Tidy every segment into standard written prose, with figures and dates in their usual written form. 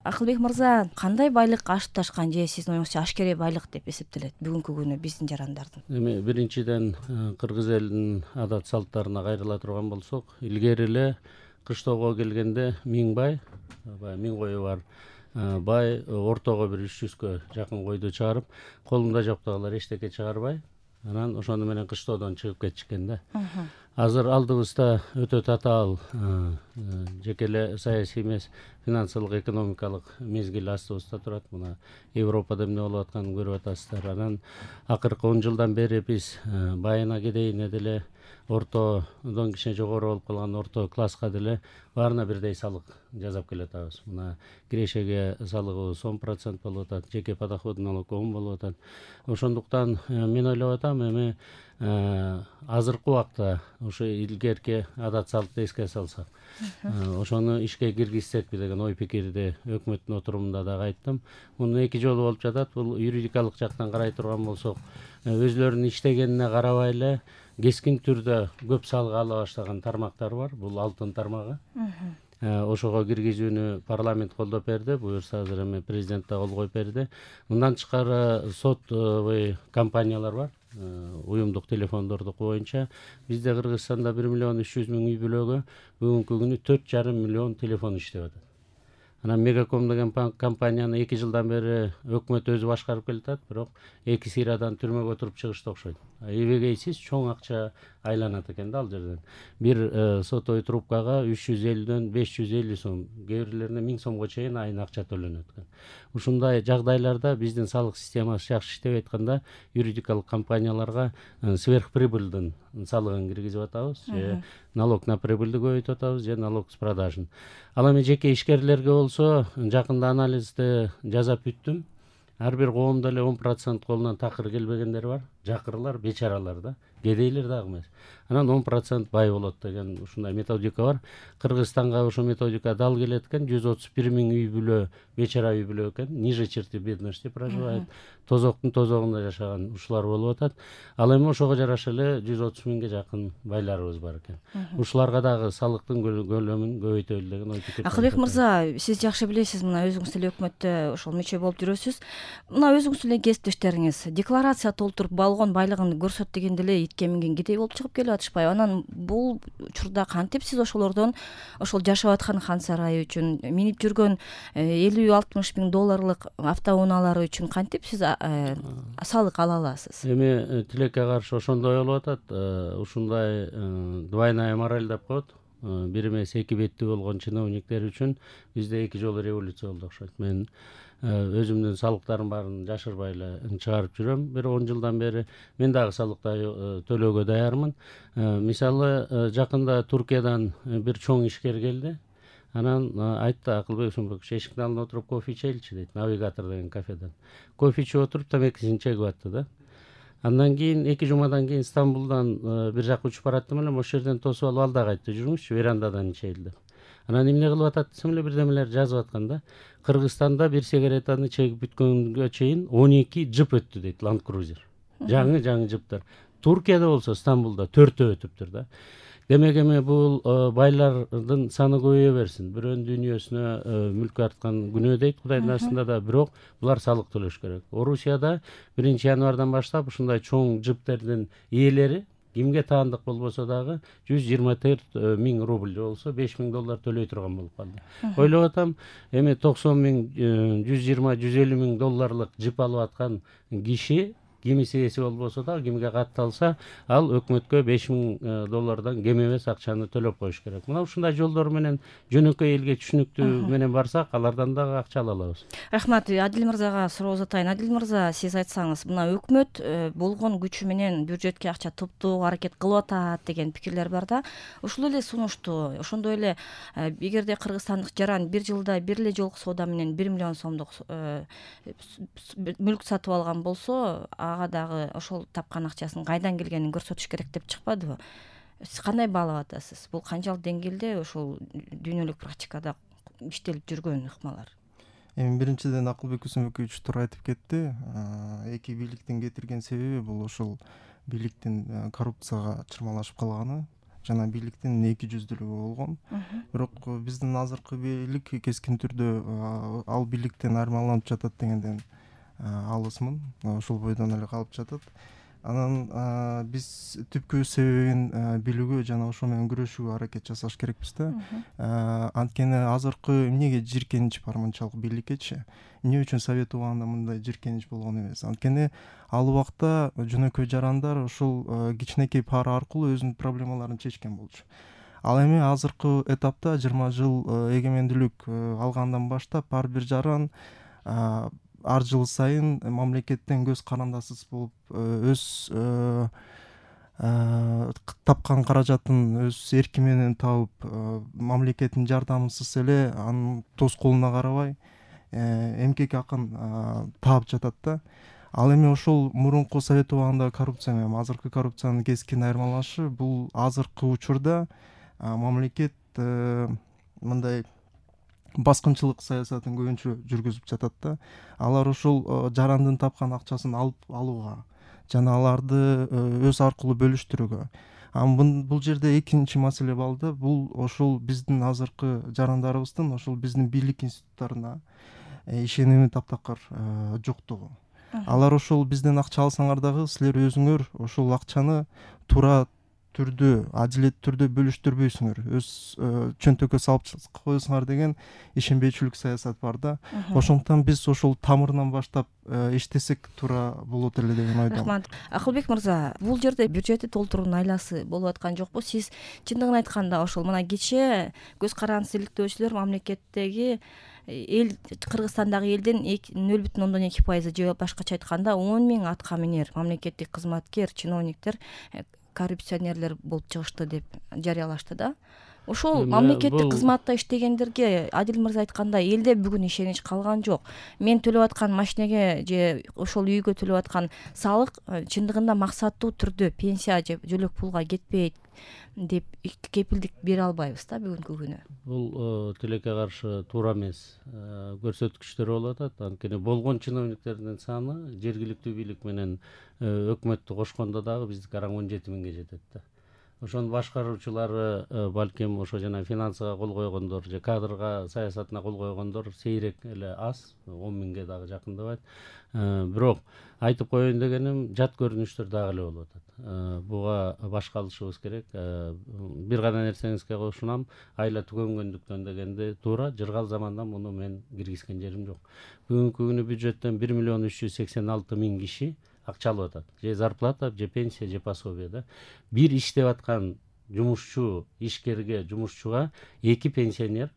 Акылбек мырза, кандай байлык ашып ташкан же сиздин оюңузча ашкерей байлык деп эсептелет бүгүнкү күнү биздин жарандардын? Эми биринчиден кыргыз элинин адат салттарына кайрыла турган болсок, илгери эле кыштоого келгенде 1000 бай, баягы 1000 кою бар бай ортого бир 300кө жакын койду чыгарып, колунда жоктогулар эчтеке чыгарбай, анан ошону менен кыштоодон чыгып кетишкен да. Азыр алдыбызда өтө татаал жеке эле саясий эмес, финансылык экономикалык мезгил астыбызда турат. Мына Европада эмне болуп атканын көрүп атасыздар. Анан акыркы 10 жылдан бери биз байына кедейине деле, ортодон кичине жогору болуп калган орто класска деле баарына бирдей салык жасап келатабыз. Мына кирешеге салыгыбыз 10% болуп атат, жеке подоходный налог 10 болуп атат. Ошондуктан мен ойлоп атам, эми азыркы убакта ошо илгерки адат салтты эске салсак, ошону ишке киргизсекпи деген ой пикирди өкмөттүн отурумунда дагы айттым. Муну эки жолу болуп жатат. Бул юридикалык жактан карай турган болсок, өзлөрүнүн иштегенине карабай эле кескин түрдө көп салык ала баштаган тармактар бар. Бул алтын тармагы. Ошого киргизүүнү парламент колдоп берди. Буюрса азыр эми президент да кол коюп берди. Мындан тышкары сотовый компаниялар бар. Уюмдук телефондордуку боюнча бизде Кыргызстанда 1,3 миллион үй бүлөгө бүгүнкү күнү 4,5 миллион телефон иштеп атат. Анан Мегаком деген компанияны 2 жылдан бери өкмөт өзү башкарып келатат, бирок 2 сыйрадан түрмөгө отуруп чыгышты окшойт. Эбегейсиз чоң акча айланат экен да ал жерден. Бир сотовый трубкага 350дөн 550 сом, кээ бирлерине 1000 сомго чейин айына акча төлөнөт экен. Ушундай жагдайларда биздин салык системасы жакшы иштебей атканда юридикалык компанияларга сверхприбыльдын салыгын киргизип атабыз, же налог на прибыльди көбөйтүп атабыз, же налог с продажын. Ал эми жеке ишкерлерге болсо, жакында анализди жасап бүттүм. Ар бир коомдо эле 10% колунан такыр келбегендер бар. Жакырлар, бечаралар да, кедейлер дагы эмес. Анан 10% бай болот деген ушундай методика бар. Кыргызстанга ошо методика дал келет экен. 131 миң үй бүлө бечара үй бүлө экен. Ниже черты бедности проживает. Тозоктун тозогунда жашаган ушулар болуп атат. Ал эми ошого жараша эле 130 миңге жакын байларыбыз бар экен. Ушуларга дагы салыктын көлөмүн көбөйтөлү деген ой пикир. Акылбек мырза, сиз жакшы билесиз, мына өзүңүз деле өкмөттө ошол мүчө болуп жүрөсүз. Мына өзүңүз деле кесиптештериңиз декларация толтуруп болгон байлыгын көрсөт дегенде эле итке минген кедей болуп чыгып келип атышпайбы? Анан бул учурда кантип сиз ошолордон ошол жашап аткан Хан сарайы үчүн, минип жүргөн 50-60 миң долларлык автоунаалары үчүн кантип сиз салык ала аласыз? Эми тилекке каршы ошондой болуп атат. Ушундай двойная мораль деп коет. Бир эмес эки беттүү болгон чиновниктер үчүн бизде 2 жолу революция болду окшойт. Мен өзүмдүн салыктарым баарын жашырбай эле чыгарып жүрөм. Бир 10 жылдан бери мен дагы салыкты төлөөгө даярмын. Мисалы, жакында Туркиядан бир чоң ишкер келди. Анан айтты: Акылбек Усунбекович, эшиктин алдына отуруп кофе ичели дейт, Навигатор деген кафеден. Кофе ичип отуруп тамекисин чегип атты да. Андан кийин 2 жумадан кийин Стамбулдан бир жака учуп бараттым эле, ошол жерден тосуп алып ал дагы айтты: жүрүңүзчү, верандадан ичели деп. Анан эмне кылып атат десем эле бирдемелер жазып аткан да. Кыргызстанда бир сигаретаны чегип бүткөнгө чейин 12 жып өттү дейт, Land Cruiser. Жаңы жыптар. Туркияда болсо, Стамбулда 4 өтүптүр да. Демек эми бул байлардын саны көбөйө берсин. Бирөөнүн дүйнөсүнө мүлкү арткан күнөө дейт Кудайдын астында да, бирок булар салык төлөш керек. Орусияда 1-январдан баштап ушундай чоң жиптердин ээлери кимге таандык болбосо дагы 124 миң рубль болсо 5 миң доллар төлөй турган болуп калды. Ойлоп атам, эми 90 миң, 120-150 миң долларлык жип алып аткан киши кимиси эси болбосо да, кимге катталса, ал өкмөткө 5 миң доллардан кем эмес акчаны төлөп коюш керек. Мына ушундай жолдор менен жөнөкөй элге түшүнүктүү менен барсак, алардан дагы акча ала алабыз. Рахмат. Адил мырзага суроо uzatайын. Адил мырза, сиз айтсаңыз, мына өкмөт болгон күчү менен бюджетке акча топтоо аракет кылып атат деген пикирлер бар да. Ушул эле сунушту, ошондой эле эгерде кыргызстандык жаран бир жылда бир эле жолку соода менен 1 миллион сомдук мүлк сатып алган болсо, ага дагы ошол тапкан акчасынын кайдан келгенин көрсөтүш керек деп чыкпадыбы? Сиз кандай баалап атасыз? Бул канчалык деңгээлде ошол дүйнөлүк практикада иштелип жүргөн ыкмалар? Эми биринчиден Акылбек Усунбекович туура айтып кетти. Эки бийликтин кетирген себеби бул ошол бийликтин коррупцияга чырмалашып калганы жана бийликтин эки жүздүүлүгү болгон. Бирок биздин азыркы бийлик кескин түрдө ал бийликтен айырмаланып жатат дегенден алысмын. Ошол бойдон эле калып жатат. Анан биз түпкү себебин билүүгө жана ошо менен күрөшүүгө аракет жасаш керекпиз да. Анткени азыркы эмнеге жийиркенич бар мынчалык бийликкечи? Эмне үчүн совет убагында мындай жийиркенич болгон эмес? Анткени ал убакта жөнөкөй жарандар ошол кичинекей пара аркылуу өзүнүн проблемаларын чечкен болчу. Ал эми азыркы этапта 20 жыл эгемендүүлүк алгандан баштап ар бир жаран ар жыл сайын мамлекеттен көз карандасыз болуп өз тапкан каражатын өз эрки менен табып, мамлекеттин жардамысыз эле анын тоскоолуна карабай эмкек акын таап жатат да. Ал эми ошол мурунку совет убагындагы коррупция менен азыркы коррупциянын кескин айырмаланышы бул азыркы учурда мамлекет мындай баскынчылык саясатын көбүнчө жүргүзүп жатат да. Алар ошол жарандын тапкан акчасын алууга жана аларды өз аркылуу бөлүштүрүүгө. Бул жерде экинчи маселе бар да, бул ошол биздин азыркы жарандарыбыздын ошол биздин бийлик институттарына ишеними таптакыр жоктугу. Алар ошол бизден акча алсаңар дагы силер өзүңөр ошол акчаны туура түрдө, адилеттүү түрдө бөлүштүрбөйсүңөр, өз чөнтөккө салып коесуңар деген ишенбейчүлүк саясат бар да. Ошондуктан биз ошол тамырынан баштап иштесек туура болот эле деген ойдомун. Рахмат. Акылбек мырза, бул жерде бюджетти толтуруунун айласы болуп аткан жокпу? Сиз чындыгын айтканда ошол мына кечээ көз карандысыз иликтөөчүлөр мамлекеттеги эл Кыргызстандагы элдин 0,2% же башкача айтканда 10 000 атка минер мамлекеттик кызматкер, чиновниктер коррупционерлер болуп чыгышты деп жарыялашты да. Ошол мамлекеттик кызматта иштегендерге Адил мырза айткандай элде бүгүн ишенич калган жок. Мен төлөп аткан машинеге же ошол үйгө төлөп аткан салык чындыгында максаттуу түрдө пенсия же жөлөк пулга кетпейт деп кепилдик бере албайбыз да бүгүнкү күнү. Бул тилекке каршы туура эмес көрсөткүчтөр болуп атат. Анткени болгон чиновниктердин саны жергиликтүү бийлик менен өкмөттү кошкондо дагы биздики араң 17 000ге жетет да. Ошонун башкаруучулары балким ошо жана финансыга кол койгондор же кадрга саясатына кол койгондор сейрек эле аз, 10 000ге дагы жакындабайт. Бирок айтып коеюн дегеним, жат көрүнүштөр дагы эле болуп атат. Буга баш калышыбыз керек. Бир гана нерсеңизге кошунам, айла түгөнгөндүктөн дегенде туура, жыргал замандан муну мен киргизген жерим жок. Бүгүнкү күнү бюджеттен 1 386 000 киши акча алып атат. Же зарплата, же пенсия, же пособие да. Бир иштеп аткан жумушчу, ишкерге, жумушчуга 2 пенсионер,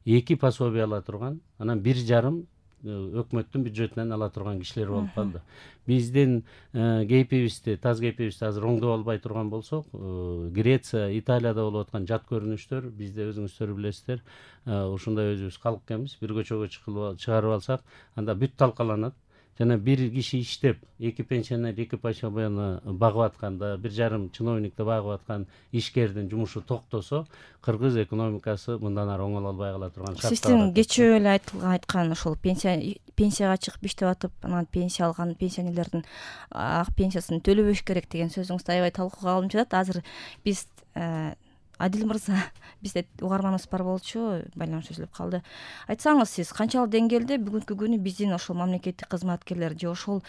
2 пособие ала турган, анан 1,5 өкмөттүн бюджетинен ала турган кишилер болуп калды. Биздин кейпибизди, таз кейпибизди азыр оңдоп албай турган болсок, Греция, Италияда болуп аткан жат көрүнүштөр, бизде өзүңүздөр билесиздер, ушундай өзүбүз калк экенбиз. Бир көчөгө чыгарып алсак, анда бүт талкаланат. Жана бир киши иштеп, 2 пенсионер, 2 пособияны багып атканда, 1,5 чиновникти багып аткан ишкердин жумушу токтосо, кыргыз экономикасы мындан ары оңоло албай кала турган шартта. Сиздин кечээ эле айткан ошол пенсияга чыгып иштеп атып, анан пенсия алган пенсионерлердин ак пенсиясын төлөбөш керек деген сөзүңүздү аябай талкууга алынып жатат. Азыр биз Адил мырза, бизде угарманыбыз бар болчу, байланыш үзүлүп калды. Айтсаңыз, сиз канчалык деңгээлде бүгүнкү күнү биздин ошол мамлекеттик кызматкерлер же ошол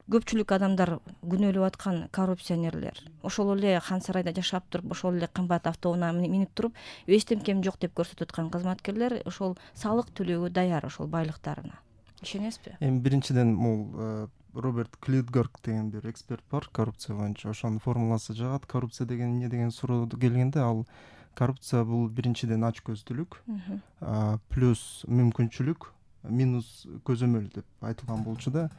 көпчүлүк адамдар күнөөлөп аткан коррупционерлер ошол эле Хан Сарайда жашап туруп, ошол эле кымбат автоунаа минип туруп, эчтемкем жок деп көрсөтүп аткан кызматкерлер ошол салык төлөөгө даяр ошол байлыктарына. Ишенесизби? Эми биринчиден бул Роберт Клитгорг деген бир эксперт бар коррупция боюнча, ошонун формуласы жагат. Коррупция деген эмне деген суроо келгенде, ал коррупция бул биринчиден ачкөздүүлүк, плюс мүмкүнчүлүк, минус көзөмөл деп айтылган болчу да.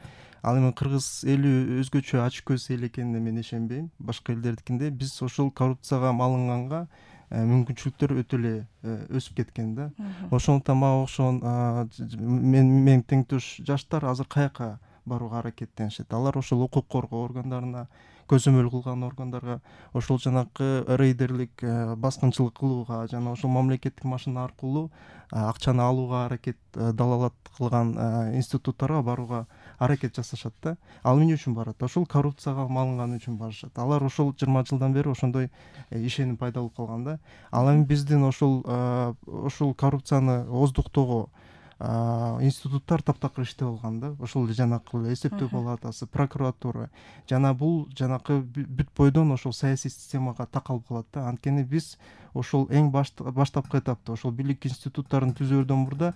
Ал эми кыргыз эли өзгөчө ачкөз эл экенине мен ишенбейм. Башка элдердикинде биз ошол коррупцияга малынганга мүмкүнчүлүктөр өтө эле өсүп кеткен да. Ошондуктан мага окшогон мен теңдеш жаштар азыр каяка барууга аракеттенишет. Алар ошол укук коргоо органдарына, көзөмөл кылган органдарга, ошол жанакы рейдерлик баскынчылык кылууга жана ошол мамлекеттик машина аркылуу акчаны алууга аракет далалат кылган институттарга барууга аракет жасашат да. Ал эмне үчүн барат? Ошол коррупцияга малынган үчүн барышат. Алар ошол 20 жылдан бери ошондой ишеним пайда болуп калган да. Ал эми биздин ошол коррупцияны ооздуктоого институттар таптакыр иштеп алган да. Ошол жанакы эсептөө палатасы, прокуратура жана бул жанакы бүт бойдон ошол саясий системага такалып калат да. Анткени биз ошол эң баштапкы этапта ошол бийлик институттарын түзүүрдөн мурда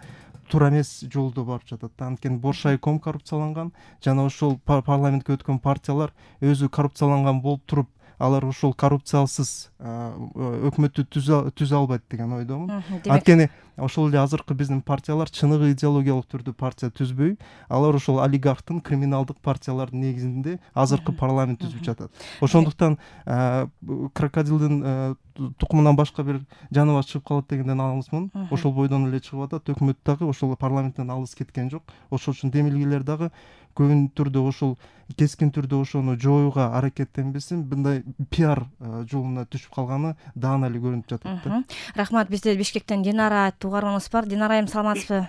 туура эмес жолдо барып жатат да. Анткени Боршайком коррупцияланган жана ошол парламентке өткөн партиялар өзү коррупцияланган болуп туруп алар ошол коррупциялсыз өкмөттү түзө албайт деген ойдомун. Анткени ошол эле азыркы биздин партиялар чыныгы идеологиялык түрдө партия түзбөй, алар ошол олигархтын криминалдык партиялардын негизинде азыркы парламент түзүп жатат. Ошондуктан крокодилдин тукумунан башка бир жаныбар чыгып калат дегенден алысмын. Ошол бойдон эле чыгып атат. Өкмөт дагы ошол парламенттен алыс кеткен жок. Ошол үчүн демилгелер дагы көбүн түрдө ошол кескин түрдө ошону жоюуга аракеттенбесин, мындай пиар жолуна түшүп калганы даана эле көрүнүп жатат да. Рахмат. Бизде Бишкектен Динара угарманыбыз бар. Динара айым, саламатсызбы?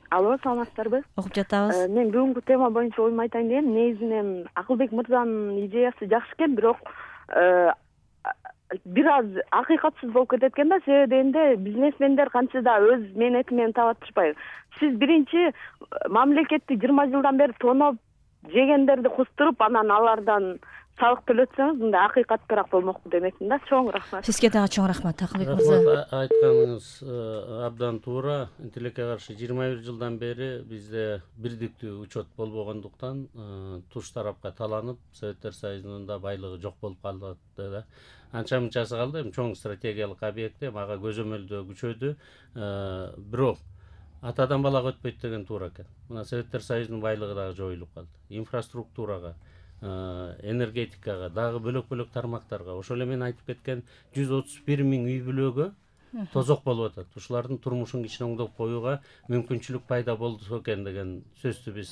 Алло, саламатсыздарбы? Окуп жатабыз. Мен бүгүнкү тема боюнча оюмду айтайын дегем. Негизинен Акылбек мырзанын идеясы жакшы экен, бирок бир аз акыйкатсыз болуп кетет экен да. Себеби дегенде бизнесмендер кантсе да өз мээнети менен таап атышпайбы. Сиз биринчи мамлекетти 20 жылдан бери тоноп жегендерди кустуруп, анан алардан салык төлөтсөңүз, мындай акыйкаттуураак болмокпу демекмин да. Чоң рахмат. Сизге дагы чоң рахмат, Акылбек мырза. Рахмат, айтканыңыз абдан туура. Тилекке каршы 21 жылдан бери бизде бирдиктүү учет болбогондуктан туш тарапка таланып, Советтер Союзунун да байлыгы жок болуп калды да. Анча мынчасы калды, эми чоң стратегиялык объекти мага көзөмөлдөө күчөдү. Бирок атадан балага өтпөйт деген туура экен. Мына Советтер Союзунун байлыгы дагы жоюлуп калды. Инфраструктурага, энергетикага, дагы бөлөк-бөлөк тармактарга, ошол эле мен айтып кеткен 131 000 үй бүлөгө тозок болуп атат. Ушулардын турмушун кичине оңдоп коюуга мүмкүнчүлүк пайда болду экен деген сөздү биз